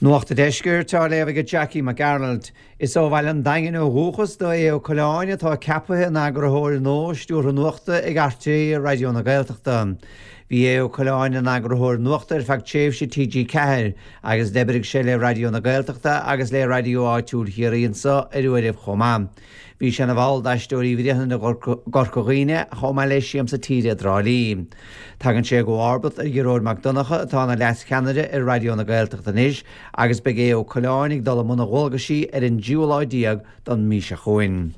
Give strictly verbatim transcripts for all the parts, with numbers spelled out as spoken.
Nuacht an Deiscirt á léamh ag Jackie Mac Gearailt. Is ó Bhaile an Daingin ó dhúchas do Aodh Ó Coileáin atá ceaptha ina eagarthóir nua stiúrtha nuachta ag R T É Raidió na Gaeltachta. Bhí Aodh Ó Coileáin ina eagarthóir nuachta ar feadh tréimhse T G Ceathair agus d'oibrigh sé le Raidió na Gaeltachta agus le Raidió áitiúil Chiarraí anseo ar uairibh chomh maith. Bhí sé ina bhall d'Aisteoirí Bhréanainn i gCorca Dhuibhne chomh maith le Siamsa Tíre i dTrá Lí. Tagann sé i gcomharbacht ar Ghearóid Mac Donncha atá ina leascheannaire ar Raidió na Gaeltachta anois agus beidh Aodh Ó Coileáin ag dul i mbun a dhualgaisí ar an dtríú lá déag den mhí seo chugainn.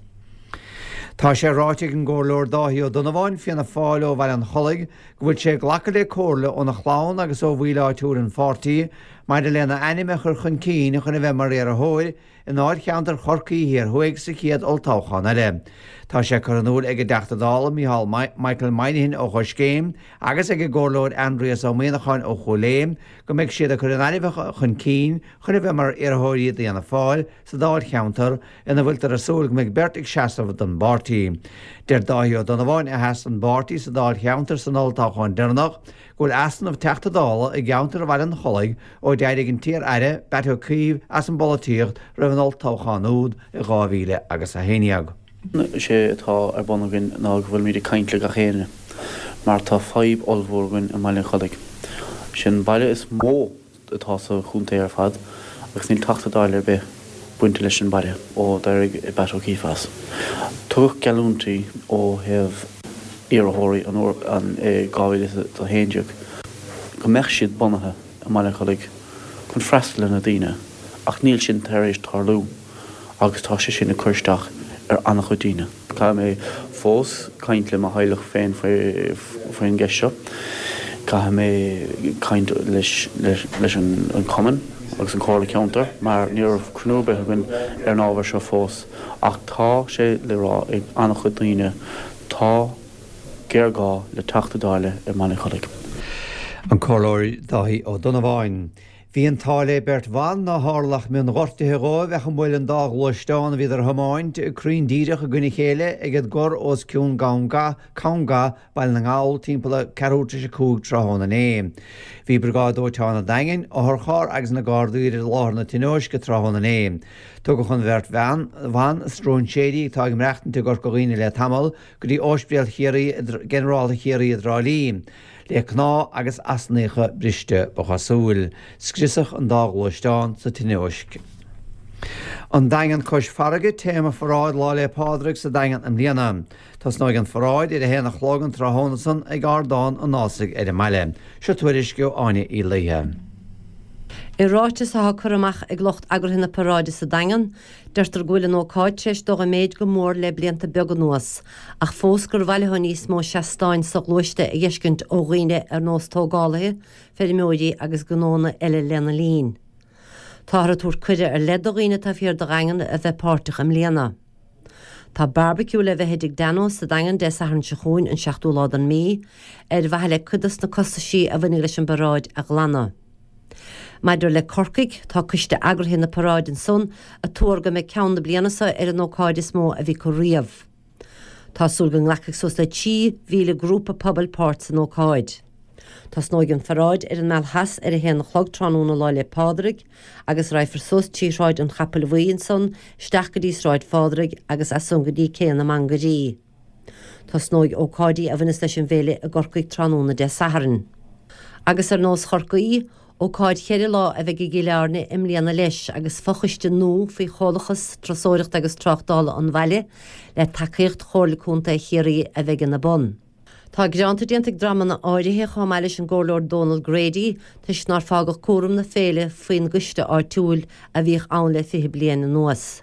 Tá sé ráite ag an gComhairleoir Dáithí Ó Donnabháin Fianna Fáil ó Bhaile an Chollaigh go bhfuil sé ag glacadh le comhairle óna chlann agus ó bhaill áitiúil an pháirtí maidir lena ainm a chur chun cinn chun a bheith mar iarrthóir i ndáilcheantar Chorcaí Thiar Thuaidh sa chéad olltoghchán eile. Tá sé curtha in iúl ag an dTeachta Dála Micheál Michael Moynihan ó Choiscéim agus ag an gComhairleoir Aindrias Ó Muimhneacháin ó Chúil Aodha go mbeidh siad ag cur a n-ainmneacha chun cinn chun a bheith mar iarrthóirí d'Fhianna Fáil sa dáilcheantar ina bhfuiltear ag súil go mbeidh beirt ag seasamh don bpáirtí. Deir Dáithí Ó Donnabháin a sheas an pháirtí sa dáilcheantar san olltoghchán deireanach go bhfuil easnamh Teachta Dála i gceantar Bhaile an Chollaigh ó d'éirigh an t-iar-aire Batt O'Keefe as an bpolaitíocht roimh an olltoghchán úd i dhá mhíle agus a haon déag. Sé atá ar bun againn ná go bhfuilmid ag caint le gach éinne mar tá fadhb ollmhór againn i mBaile an Chollaigh. Sin baile is mó atá sa chontae ar fad agus níl Teachta Dála ar bith bainte leis an baile ó d'éirigh Batt O'Keefe as. Tugadh geallúintí ó thaobh iarrthóirí an an dhá mhíle a haon déag go mbeadh siad bunaithe i mBaile an Chollaigh chun freastal ar na daoine ach níl sin tar éis tarlú agus tá sé sin ag cur isteach ar an-chuid daoine. Caithfidh mé fós caint le mo theaghlach féin faoin gceist seo. Caithfidh mé caint leis leis an cumann agus an Chomhairle Ceantair mar ní raibh cruinniú ar bith againn ar an ábhar seo fós ach tá sé le rá ag an-chuid daoine tá géarghá le Teachta Dála i mBaile an Chollaigh. An Comhairleoir Dáithí Ó Donnabháin. Bhí an t-ádh le beirt bhan nár tharla ach mionghortuithe dóibh ach a mbuail an dá ghluaisteán a bhíodar a thiomáint cruinn díreach i gcoinne chéile ag an gcor os cionn Ganga Conga Baile na nGall timpeall ceathrú tar éis a cúig tráthnóna inné. Bhí Briogáid Dóiteáin an Daingin, otharcharr agus na Gardaí ar láthair na tionóisce tráthnóna inné. Tugadh an bheirt bhean bhan stróinséirí atá ag maireachtaint i gCorca Dhuibhne le tamall go dtí Ospidéal Chiarraí Ginearálta Chiarraí i dTrá Lí. Le cnámha agus easnacha briste ba chosúil, scriosadh an dá ghluaisteán sa tionóisc. An Daingean cois farraige téama pharáid Lá 'le Pádraig sa Daingean i mbliana. Tosnóidh an pharáid ar a haon a chlog an tráthnóna san ag Ardán an Ásaigh ar an mbaile. Seo tuairisc ó Áine Uí Laoithe. I ráiteas atá curtha amach ag lucht eagraithe na paráide sa Daingean, deirtear go bhfuil an ócáid tar éis dul i méid go mór le blianta beaga anuas, ach fós gur mhaith leo níos mó seastáin sa ghluaiste a fheiscint ó dhaoine ar nós tógálaithe, feirmeoirí agus gnónna eile lena linn. Táthar ag tabhairt cuireadh ar leith do dhaoine atá fíor do Dhaingean a bheith páirteach i mbliana. Tá barbecue le bheith ag Dano sa Daingean Dé Sathairn seo chugainn an seachtú lá den mhí, ar mhaithe le cuid de na costaisí a bhaineann leis an bparáid a ghlanadh. Maidir le Corcaigh tá coiste eagraithe na paráide ansan ag tuar go mbeidh ceann na bliana seo ar an ócáid is mó a bhí acu riamh. Tá súil go nglacfaidh suas le trí mhíle grúpa pobail páirt san ócáid. Tosnóidh an pharáid ar an Meal Theas ar a haon a chlog tráthnóna Lá 'le Pádraig agus rachaifear suas trí Shráid an Chapaill Bhuí ansan isteach go dtí Sráid Phádraig agus as san go dtí Cé na Mangairí. Tosnóidh ócáidí a bhaineas leis an bhféile i gCorcaigh tráthnóna Dé Sathairn. Agus ar nós Chorcaí, ócáid cheithre lá a bheidh i gCill Airne i mbliana leis agus fochoiste nua faoi Chomhlachas Turasóireachta agus Tráchtála an bhaile le tacaíocht Chomhairle Contae Chiarraí a bheidh ina bun. Tá gearáin déanta ag dreamanna áirithe chomh maith leis an gComhairleoir Donald Grady toisc nár fágadh cúram na féile faoin gcoiste áitiúil a bhíodh ann le fiche bliain anuas.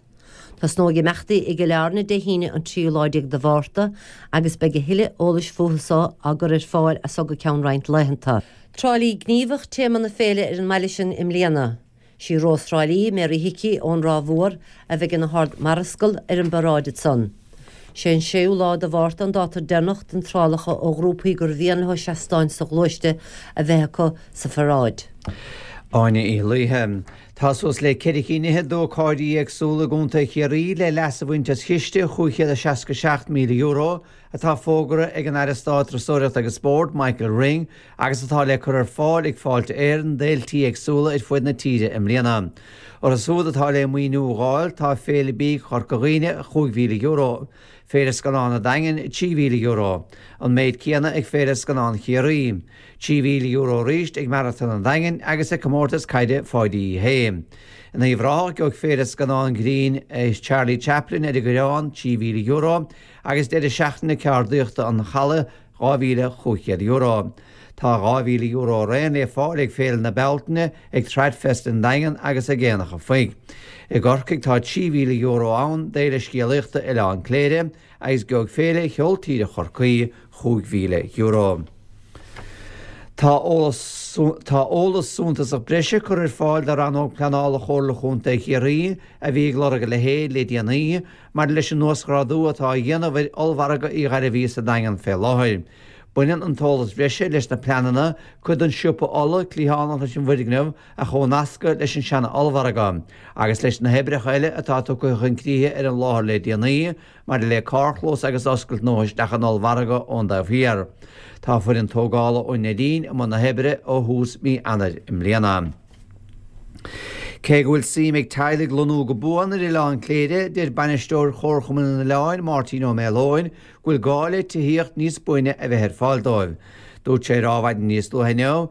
Tosnóidh imeachtaí i gCill Airne Dé hAoine an tríú lá déag de Mhárta agus beidh a thuilleadh eolais fúthu seo á gcur ar fáil as go ceann roinnt laethanta. Trá Lí gníomhach téama na féile ar an mbaile sin i mbliana. Sí Rós Thrá Lí Mary Hickey ón Ráth Mhór a bheidh ina hArd-Mharascal ar an bparáid san. Sé an séú lá de Mhárta an dáta deireanach d'iontrálacha ó ghrúpaí gur mhian leo seastáin sa ghluaiste a bheith acu sa pharáid. Áine Uí Laoithe. Tá suas le ceithre cinn fhichead d'ócáidí éagsúla i gContae Chiarraí le leas a bhaint as chiste chúig chéad is seasca seacht míle euro atá fógartha ag an Aire Stáit Turasóireachta agus Spóirt, Michael Ring, agus atá le cur ar fáil ag Fáilte Éireann d'fhéiltí éagsúla ar fud na tíre i mbliana. Orthu siúd atá le maoiniú a dh'fháil tá Féile Bídh Chorca Dhuibhne, chúig mhíle euro, Féile Scannán an Daingin, trí mhíle euro, an méid céanna ag Féile Scannán Chiarraí, trí mhíle euro arís ag Maratón an Daingin agus ag Comórtas Caide Pháidí Uí Shé. In Uíbh Ráthach gheobhaidh Féile Scannán Grinn Charlie Chaplin ar an gCoireán trí mhíle euro agus Deireadh Seachtaine Ceardaíochta an Chalaidh dhá mhíle chúig chéad euro. Tá dhá mhíle euro araon le fáil ag Féile na Bealtaine, ag Tradfest an Daingean agus ag Aonach an Phoic. I gCorcaigh tá trí mhíle euro ann d'Fhéile Scéalaíochta Oileán Cléire agus gheobhaidh Féile Cheol Tíre Chorcaí chúig mhíle euro. Tá eolas suntasach breise curtha ar fáil do Rannóg Pleanála Chomhairle Chontae Chiarraí, a bhí ag lorg a leithéid le déanaí, maidir leis an uasghrádú atá á dhéanamh ar Ollmhargadh Uí Ghairbhí sa Daingean fé láthair. Baineann an t-eolas breise leis na pleananna cuid den siopa olla cliathánach leis an bhfoirgneamh a chomhnascadh leis an seana-ollmhargadh agus leis na hoibreacha eile atá tugtha chun críche ar an láthair le déanaí maidir le carrchlós agus oscailt nua isteach an ollmhargadh ón dtaobh thiar. Tá foireann tógála ón Neidín i mbun na hoibre ó thús mí Eanáir i mbliana. Cé go bhfuil suim ag teaghlaigh lonnú go buan ar Oileán Cléire, deir bainisteoir Chomharchumann an Oileáin, Máirtín Ó Maoileoin, go bhfuil gá le tithíocht níos buaine a bheith ar fáil dóibh. Dúirt sé ar Adhmhaidin níos luaithe inniu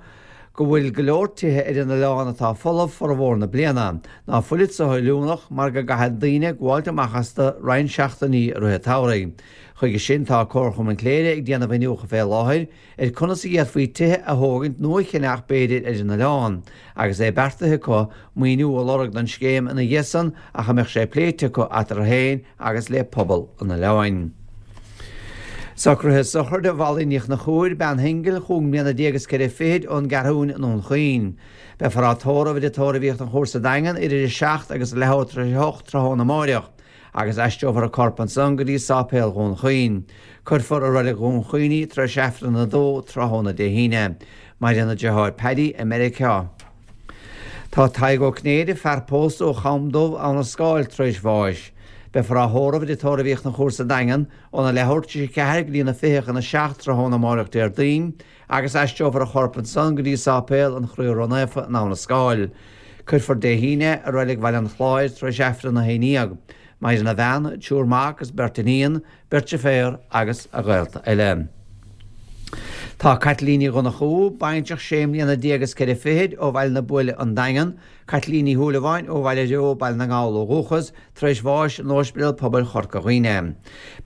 go bhfuil go leor tithe ar an oileán atá folamh formhór na bliana, ná fuilid so-oiriúnach mar go gcaithfidh daoine gabháilt amach astu roinnt seachtainí i rith an tsamhraidh. Chuige sin tá Comharchumann Chléire ag déanamh iniúchadh fé láthair ar conas a d'fhéadfaí tithe a thógaint nó a cheannach b'fhéidir ar an oileán, agus é beartaithe acu maoiniú a lorg don scéim ina dhiaidh san ach a mbeadh sé pléite acu eatarthu féin agus le pobal an oileáin. Socruithe sochraide Mholly Ní Chonchúir, bean shingil, chúig mbliana déag is ceithre fichid, ón gCeathrúin i nDún Chaoin. Beifear á tórramh i dTigh Tórraimh Uí Chonchúir sa Daingean idir a seacht agus a leathuair tar éis a hocht tráthnóna amáireach. agus aistreofar a corp ansan go dtí Sáipéal Dhún Chaoin. Cuirfear i Reilig Dhún Chaoin í tar éis Aifreann a dó tráthnóna Dé hAoine. Maireann a deartháir Paddy i Meiriceá. Tá Tadhg Ó Cinnéide, fear pósta ó Cham Dubh, Abha na Scáil, tar éis bháis. Beifear á thórramh i dTigh Tórraimh Uí Chonchúir sa Daingean óna leathuair tar éis a ceathair go dtí na fiche chun a seacht tráthnóna amáireach Déardaoin agus aistreofar a chorp ansan go dtí Sáipéal an Chroí Ró-Naofa in Abha na Scáil. Cuirfear Dé hAoine i Reilig Bhaile an Chláir tar éis Aifreann a haon dhéag. Maireann a bhean, triúr mac agus beirt iníon, beirt deirféar agus a ghaolta eile. Tá Caitlín Ní Dhonnchú, baintreach sé mbliana déag is ceithre fichid ó Bhaile na Buaile, An Daingean, Caitlín Ní Shúilleabháin ó Bhaile Reo, Baile na nGall ó dhúchas, tar éis bháis in Ospidéal Pobail Chorca Dhuibhne.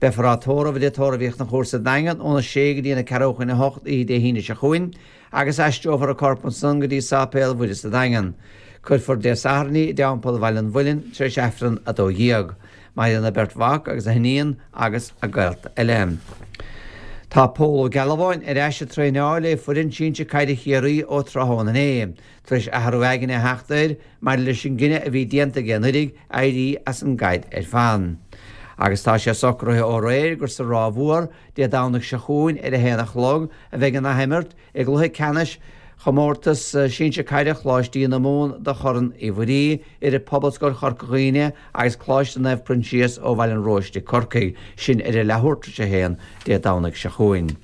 Beifear á tórramh i dTigh Tórraimh Uí Chonchúir sa Daingean óna sé go dtí na ceathrú chun a hocht oíche Dé hAoine seo chugainn agus aistreofar a corp ansan go dtí Sáipéal Mhuire sa Daingean. Cuirfear Dé Sathairn í i dTeampall Bhaile an Mhuilinn tar éis Aifreann a dó dhéag. Maireann a beirt mhac agus a hiníon agus a gaolta eile. Tá Pól Ó Gealbháin ar ais ag traenáil le foireann sinsir caide Chiarraí ó tráthnóna inné, tar éis athrú aigne a theacht air maidir leis an gcinneadh a bhí déanta aige anuraidh éirí as an gcaid ar fad. Agus tá sé socraithe ó aréir gur sa Ráth Mhór, Dé Domhnaigh seo chugainn ar a haon a chlog a bheidh an athimirt i gcluiche ceannais Chomórtas Sinsir Caide Choláistí na Mumhan do Chorn Uí Mhuirí idir Pobalscoil Chorca Dhuibhne agus Coláiste Naomh Proinsias ó Bhaile an Róiste, Corcaigh, sin ar a leathuair tar éis a haon Dé Domhnaigh seo chugainn.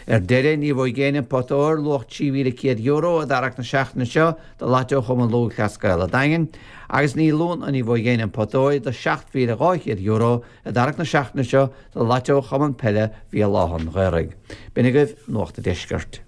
Ar deireadh, ní bhuafaidh éinne an pota óir, luach trí mhíle céad euro, i dtarrac na seachtaine seo do Lató Chumann Lúthchleas Gael an Daingin, agus ní luann ní bhuafaidh éinne an pota óir do seacht mhíle dhá chéad euro i dtarrac na seachtaine seo do Lató Chumann Peile Bhéal Átha an Ghaorthaidh. B'in agaibh Nuacht an Deiscirt.